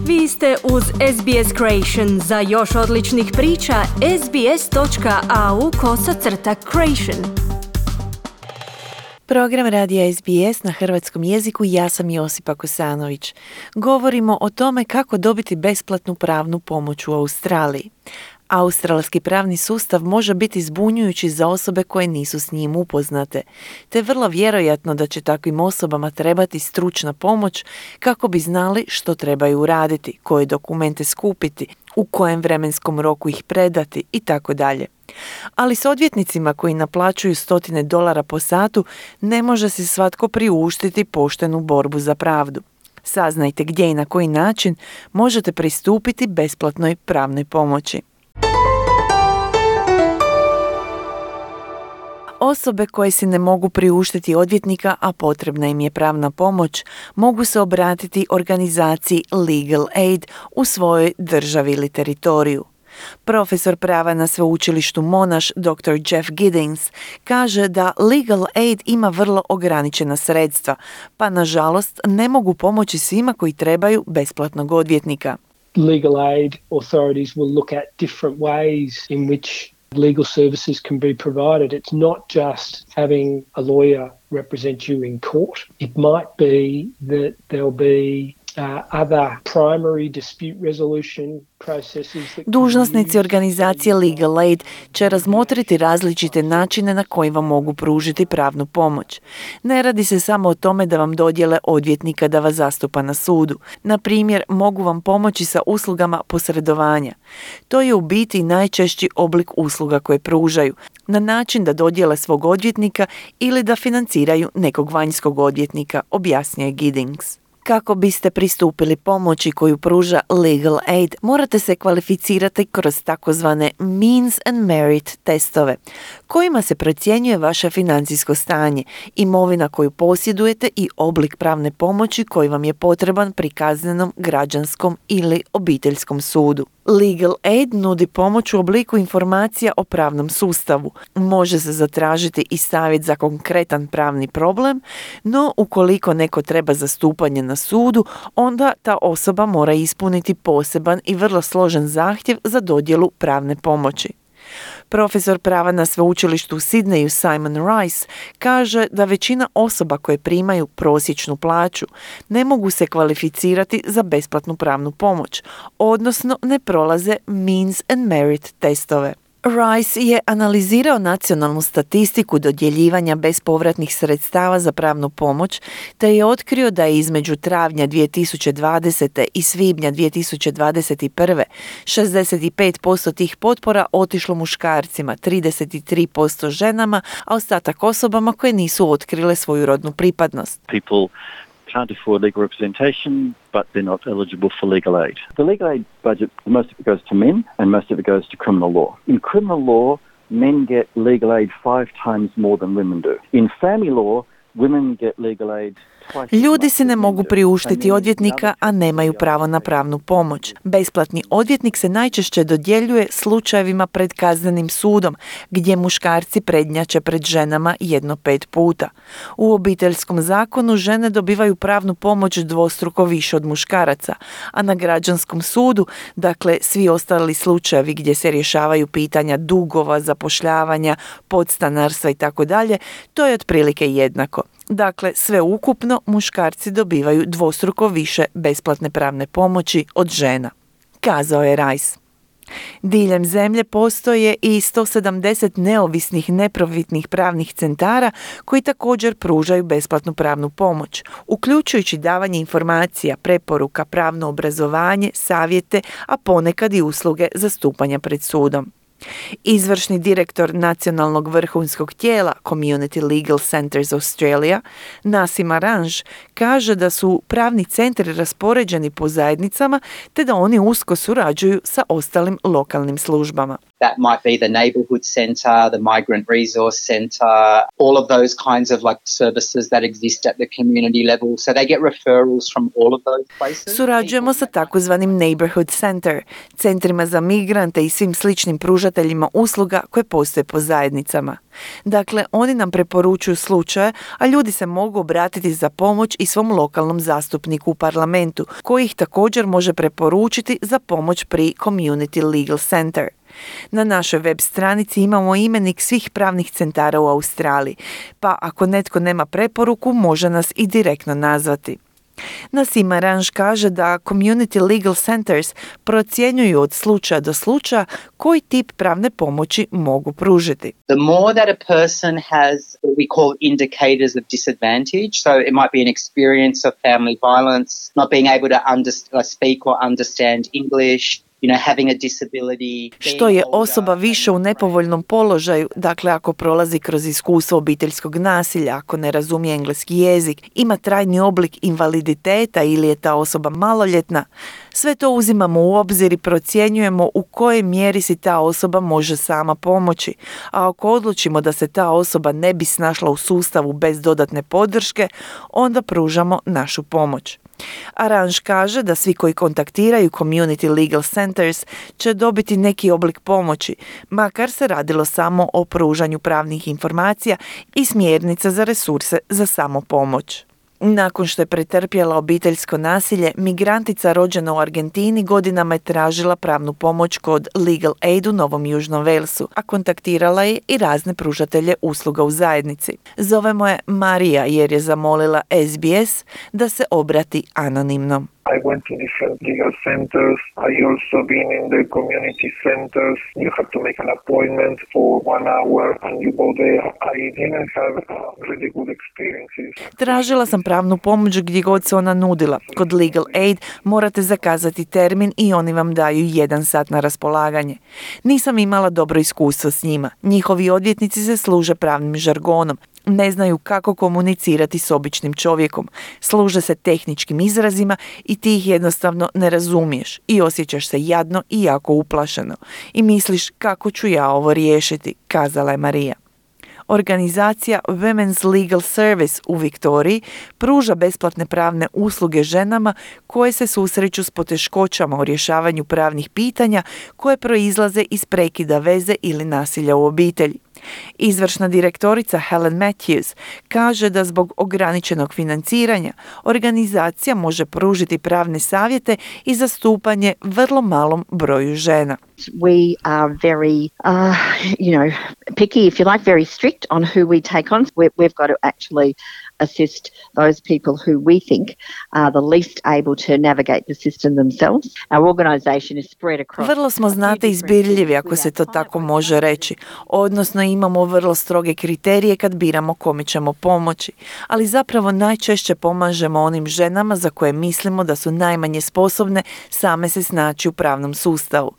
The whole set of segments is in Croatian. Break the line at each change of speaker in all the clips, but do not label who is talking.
Vi ste uz SBS Creation. Za još odličnih priča, sbs.au/creation.
Program radija SBS na hrvatskom jeziku, ja sam Josipa Kosanović. Govorimo o tome kako dobiti besplatnu pravnu pomoć u Australiji. Australski pravni sustav može biti zbunjujući za osobe koje nisu s njim upoznate, te vrlo vjerojatno da će takvim osobama trebati stručna pomoć kako bi znali što trebaju uraditi, koje dokumente skupiti, u kojem vremenskom roku ih predati itd. Ali s odvjetnicima koji naplaćuju $100 po satu ne može si svatko priuštiti poštenu borbu za pravdu. Saznajte gdje i na koji način možete pristupiti besplatnoj pravnoj pomoći. Osobe koje si ne mogu priuštiti odvjetnika, a potrebna im je pravna pomoć, mogu se obratiti organizaciji Legal Aid u svojoj državi ili teritoriju. Profesor prava na sveučilištu Monash, dr. Jeff Giddings, kaže da Legal Aid ima vrlo ograničena sredstva, pa nažalost ne mogu pomoći svima koji trebaju besplatnog odvjetnika.
Legal aid authorities will look at different ways in which legal services can be provided. It's not just having a lawyer represent you in court. It might be that there'll be other primary dispute resolution processes.
Dužnosnici organizacije Legal Aid će razmotriti različite načine na koji vam mogu pružiti pravnu pomoć. Ne radi se samo o tome da vam dodijele odvjetnika da vas zastupa na sudu. Na primjer, mogu vam pomoći sa uslugama posredovanja. To je u biti najčešći oblik usluga koje pružaju, na način da dodijele svog odvjetnika ili da financiraju nekog vanjskog odvjetnika, objasnio Giddings. Kako biste pristupili pomoći koju pruža Legal Aid, morate se kvalificirati kroz takozvane Means and Merit testove, kojima se procjenjuje vaše financijsko stanje, imovina koju posjedujete i oblik pravne pomoći koji vam je potreban pri kaznenom, građanskom ili obiteljskom sudu. Legal Aid nudi pomoć u obliku informacija o pravnom sustavu. Može se zatražiti i savjet za konkretan pravni problem, no ukoliko neko treba zastupanje na sudu, onda ta osoba mora ispuniti poseban i vrlo složen zahtjev za dodjelu pravne pomoći. Profesor prava na sveučilištu u Sidneju Simon Rice kaže da većina osoba koje primaju prosječnu plaću ne mogu se kvalificirati za besplatnu pravnu pomoć, odnosno ne prolaze Means and Merit testove. Rice je analizirao nacionalnu statistiku dodjeljivanja bespovratnih sredstava za pravnu pomoć, te je otkrio da je između travnja 2020. i svibnja 2021. 65% tih potpora otišlo muškarcima, 33% ženama, a ostatak osobama koje nisu otkrile svoju rodnu pripadnost.
People can't afford legal representation, but they're not eligible for legal aid. The legal aid budget, most of it goes to men and most of it goes to criminal law. In criminal law, men get legal aid 5 times more than women do. In family law, women get legal aid.
Ljudi se ne mogu priuštiti odvjetnika, a nemaju pravo na pravnu pomoć. Besplatni odvjetnik se najčešće dodjeljuje slučajevima pred kaznenim sudom, gdje muškarci prednjače pred ženama 1-5 puta. U obiteljskom zakonu žene dobivaju pravnu pomoć dvostruko više od muškaraca, a na građanskom sudu, dakle svi ostali slučajevi gdje se rješavaju pitanja dugova, zapošljavanja, podstanarstva itd., to je otprilike jednako. Dakle, sve ukupno muškarci dobivaju dvostruko više besplatne pravne pomoći od žena, kazao je Rice. Diljem zemlje postoje i 170 neovisnih neprofitnih pravnih centara koji također pružaju besplatnu pravnu pomoć, uključujući davanje informacija, preporuka, pravno obrazovanje, savjete, a ponekad i usluge zastupanja pred sudom. Izvršni direktor nacionalnog vrhunskog tijela Community Legal Centers Australia, Nasim Aranj, kaže da su pravni centri raspoređeni po zajednicama te da oni usko surađuju sa ostalim lokalnim službama.
That might be the neighbourhood centre, the migrant resource centre, all of those kinds of like services that exist at the community level. So they get referrals from all of those places.
Surađujemo sa takozvanim neighborhood center, centrima za migrante i svim sličnim pružateljima usluga koje postoje po zajednicama. Dakle, oni nam preporučuju slučaje, a ljudi se mogu obratiti za pomoć i svom lokalnom zastupniku u parlamentu, koji ih također može preporučiti za pomoć pri Community Legal Center. Na našoj web stranici imamo imenik svih pravnih centara u Australiji, pa ako netko nema preporuku, može nas i direktno nazvati. Nasim Aranž kaže da Community Legal Centers procjenjuju od slučaja do slučaja koji tip pravne pomoći mogu pružiti.
The more that a person has what we call indicators of disadvantage, so it might be an experience of family violence, not being able to speak or understand English, having a disability.
Što je osoba više u nepovoljnom položaju, dakle ako prolazi kroz iskustvo obiteljskog nasilja, ako ne razumije engleski jezik, ima trajni oblik invaliditeta ili je ta osoba maloljetna, sve to uzimamo u obzir i procjenjujemo u kojoj mjeri si ta osoba može sama pomoći, a ako odlučimo da se ta osoba ne bi snašla u sustavu bez dodatne podrške, onda pružamo našu pomoć. Aranž kaže da svi koji kontaktiraju Community Legal Centers će dobiti neki oblik pomoći, makar se radilo samo o pružanju pravnih informacija i smjernica za resurse za samopomoć. Nakon što je pretrpjela obiteljsko nasilje, migrantica rođena u Argentini godinama je tražila pravnu pomoć kod Legal Aid u Novom Južnom Walesu, a kontaktirala je i razne pružatelje usluga u zajednici. Zovemo je Marija jer je zamolila SBS da se obrati anonimno.
I went to different legal centers. I also been in the community centers. You have to make an appointment for 1 hour and you go there. I didn't have really good experiences.
Tražila sam pravnu pomoć gdje god se ona nudila. Kod Legal Aid morate zakazati termin i oni vam daju 1 sat na raspolaganje. Nisam imala dobro iskustvo s njima. Njihovi odvjetnici se služe pravnim žargonom. Ne znaju kako komunicirati s običnim čovjekom. Služe se tehničkim izrazima i ti ih jednostavno ne razumiješ i osjećaš se jadno i jako uplašeno. I misliš kako ću ja ovo riješiti, kazala je Marija. Organizacija Women's Legal Service u Viktoriji pruža besplatne pravne usluge ženama koje se susreću s poteškoćama u rješavanju pravnih pitanja koje proizlaze iz prekida veze ili nasilja u obitelji. Izvršna direktorica Helen Matthews kaže da zbog ograničenog financiranja organizacija može pružiti pravne savjete i zastupanje vrlo malom broju žena.
We are very, picky, if you like, very strict on who we take on. We've got to actually assist those people who we think are the least able to navigate the system themselves. Our organisation is spread across.
Vrlo smo, znate, izbirljivi, ako se to tako može reći. Odnosno imamo vrlo stroge kriterije kad biramo kome ćemo pomoći, ali zapravo najčešće pomažemo onim ženama za koje mislimo da su najmanje sposobne same se snaći u pravnom sustavu.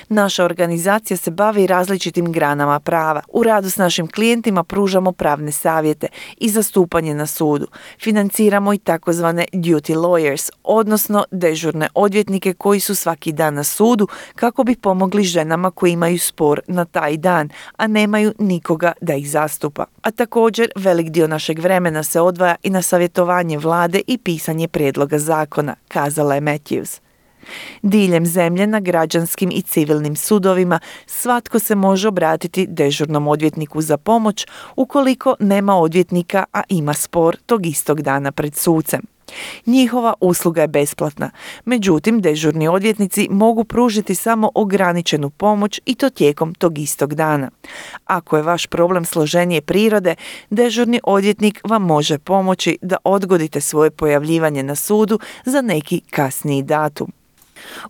Naša organizacija se bavi različitim granama prava. U radu s našim klijentima pružamo pravne savjete i zastupanje na sudu. Financiramo i takozvane duty lawyers, odnosno dežurne odvjetnike koji su svaki dan na sudu kako bi pomogli ženama koji imaju spor na taj dan, a nemaju nikoga da ih zastupa. A također velik dio našeg vremena se odvaja i na savjetovanje vlade i pisanje prijedloga zakona, kazala je Matthews. Diljem zemlje na građanskim i civilnim sudovima svatko se može obratiti dežurnom odvjetniku za pomoć ukoliko nema odvjetnika, a ima spor tog istog dana pred sucem. Njihova usluga je besplatna, međutim dežurni odvjetnici mogu pružiti samo ograničenu pomoć i to tijekom tog istog dana. Ako je vaš problem složenije prirode, dežurni odvjetnik vam može pomoći da odgodite svoje pojavljivanje na sudu za neki kasniji datum.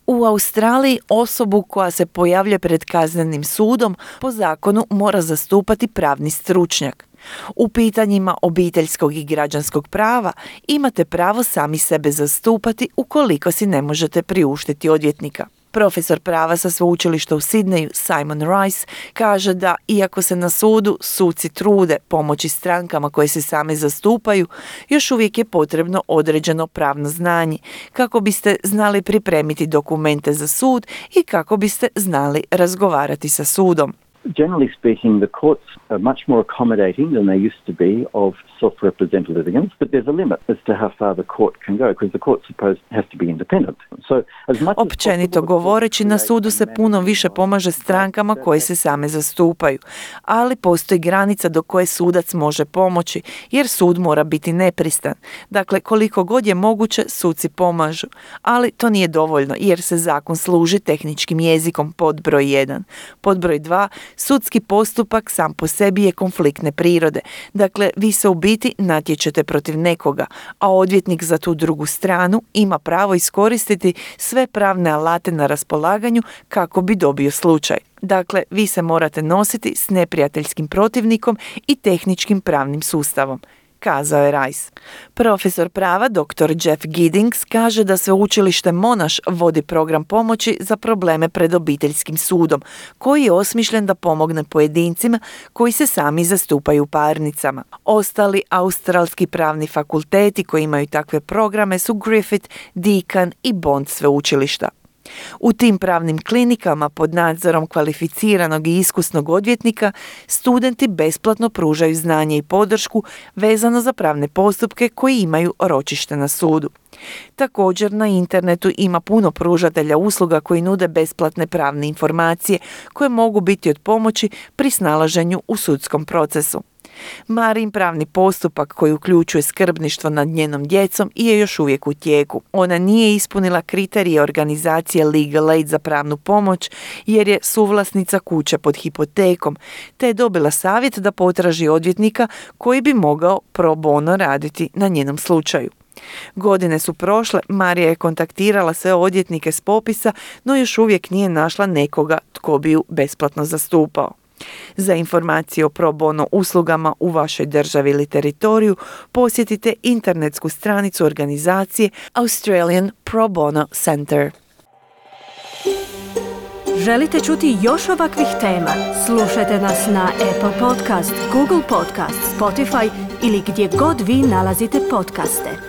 U Australiji osobu koja se pojavlja pred kaznenim sudom po zakonu mora zastupati pravni stručnjak. U pitanjima obiteljskog i građanskog prava imate pravo sami sebe zastupati ukoliko si ne možete priuštiti odvjetnika. Profesor prava sa sveučilišta u Sidneju Simon Rice kaže da iako se na sudu suci trude pomoći strankama koje se same zastupaju, još uvijek je potrebno određeno pravno znanje kako biste znali pripremiti dokumente za sud i kako biste znali razgovarati sa sudom.
Generally speaking, the courts are much more accommodating than they used to be of self-represented litigants, but there's a limit as to how far the court can go, because the court has to be independent.
Općenito govoreći, na sudu se puno više pomaže strankama koje se same zastupaju, ali postoji granica do koje sudac može pomoći, jer sud mora biti nepristran. Dakle, koliko god je moguće, suci pomažu, ali to nije dovoljno, jer se zakon služi tehničkim jezikom pod broj 1. Pod broj 2, sudski postupak sam po sebi je konfliktne prirode. Dakle, vi se u biti natječete protiv nekoga, a odvjetnik za tu drugu stranu ima pravo iskoristiti sve pravne alate na raspolaganju kako bi dobio slučaj. Dakle, vi se morate nositi s neprijateljskim protivnikom i tehničkim pravnim sustavom, kazao je Rice. Profesor prava dr. Jeff Giddings kaže da sveučilište Monash vodi program pomoći za probleme pred obiteljskim sudom, koji je osmišljen da pomogne pojedincima koji se sami zastupaju u parnicama. Ostali australski pravni fakulteti koji imaju takve programe su Griffith, Deakin i Bond sveučilišta. U tim pravnim klinikama pod nadzorom kvalificiranog i iskusnog odvjetnika studenti besplatno pružaju znanje i podršku vezano za pravne postupke koji imaju ročište na sudu. Također na internetu ima puno pružatelja usluga koji nude besplatne pravne informacije koje mogu biti od pomoći pri snalaženju u sudskom procesu. Marin pravni postupak koji uključuje skrbništvo nad njenom djecom je još uvijek u tijeku. Ona nije ispunila kriterije organizacije Legal Aid za pravnu pomoć jer je suvlasnica kuće pod hipotekom, te je dobila savjet da potraži odvjetnika koji bi mogao pro bono raditi na njenom slučaju. Godine su prošle, Marija je kontaktirala sve odvjetnike s popisa, no još uvijek nije našla nekoga tko bi ju besplatno zastupao. Za informacije o pro bono uslugama u vašoj državi ili teritoriju posjetite internetsku stranicu organizacije Australian Pro Bono Center.
Želite čuti još ovakvih tema? Slušajte nas na Apple Podcast, Google Podcast, Spotify ili gdje god vi nalazite podcaste.